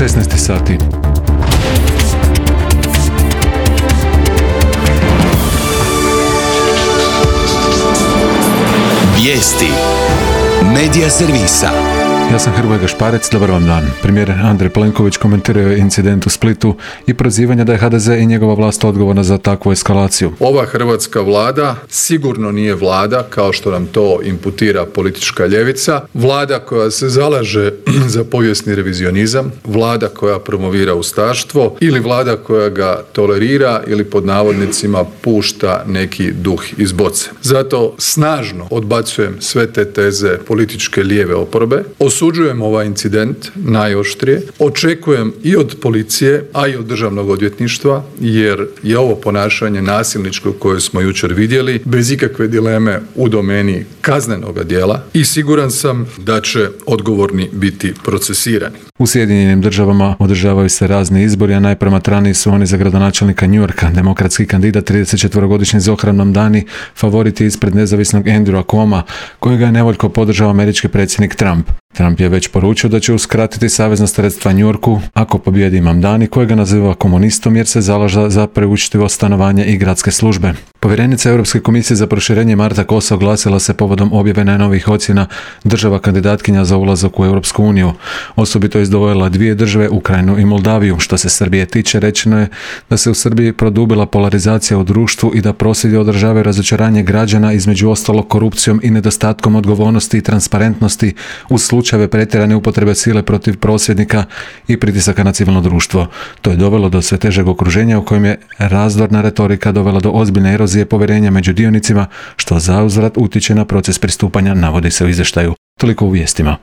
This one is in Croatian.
16 sati. Vijesti Medija servisa. Ja sam Hrvoje Gašparec, dobar vam dan. Premijer Andrej Plenković komentirao je incident u Splitu i prozivanje da je HDZ i njegova vlast odgovorna za takvu eskalaciju. Ova hrvatska vlada sigurno nije vlada, kao što nam to imputira politička ljevica, vlada koja se zalaže za povijesni revizionizam, vlada koja promovira ustaštvo ili vlada koja ga tolerira ili pod navodnicima pušta neki duh iz boce. Zato snažno odbacujem sve te teze političke lijeve oporbe. Osuđujem ovaj incident najoštrije. Očekujem i od policije, a i od državnog odvjetništva, jer je ovo ponašanje nasilničko koje smo jučer vidjeli bez ikakve dileme u domeni kaznenoga djela i siguran sam da će odgovorni biti procesirani. U Sjedinjenim Državama održavaju se razni izbori, a najpromatraniji su oni za gradonačelnika New Yorka. Demokratski kandidat 34-godišnji Zohran Mamdani favorit je ispred nezavisnog Andrewa Cuoma, kojega je nevoljko podržao američki predsjednik Trump. Trump je već poručio da će uskratiti savezna sredstva New Yorku ako pobjedi Mamdani, kojega naziva komunistom jer se zalaže za preučitivo stanovanje i gradske službe. Povjerenica Europske komisije za proširenje Marta Kosa oglasila se povodom objave najnovijih ocjena država kandidatkinja za ulazak u Europsku uniju. Osobito je izdvojila dvije države, Ukrajinu i Moldaviju. Što se Srbije tiče, rečeno je da se u Srbiji produbila polarizacija u društvu i da prosvjedi održavaju razočaranje građana, između ostalog korupcijom i nedostatkom odgovornosti i transparentnosti uz slučajeve pretjerane upotrebe sile protiv prosvjednika i pritisaka na civilno društvo. To je dovelo do sve težeg okruženja u kojem je razdorna retorika dovela do ozbiljne erozije povjerenja među dionicima, što zauzvrat utječe na proces pristupanja, navodi se u izvještaju. Toliko u vijestima.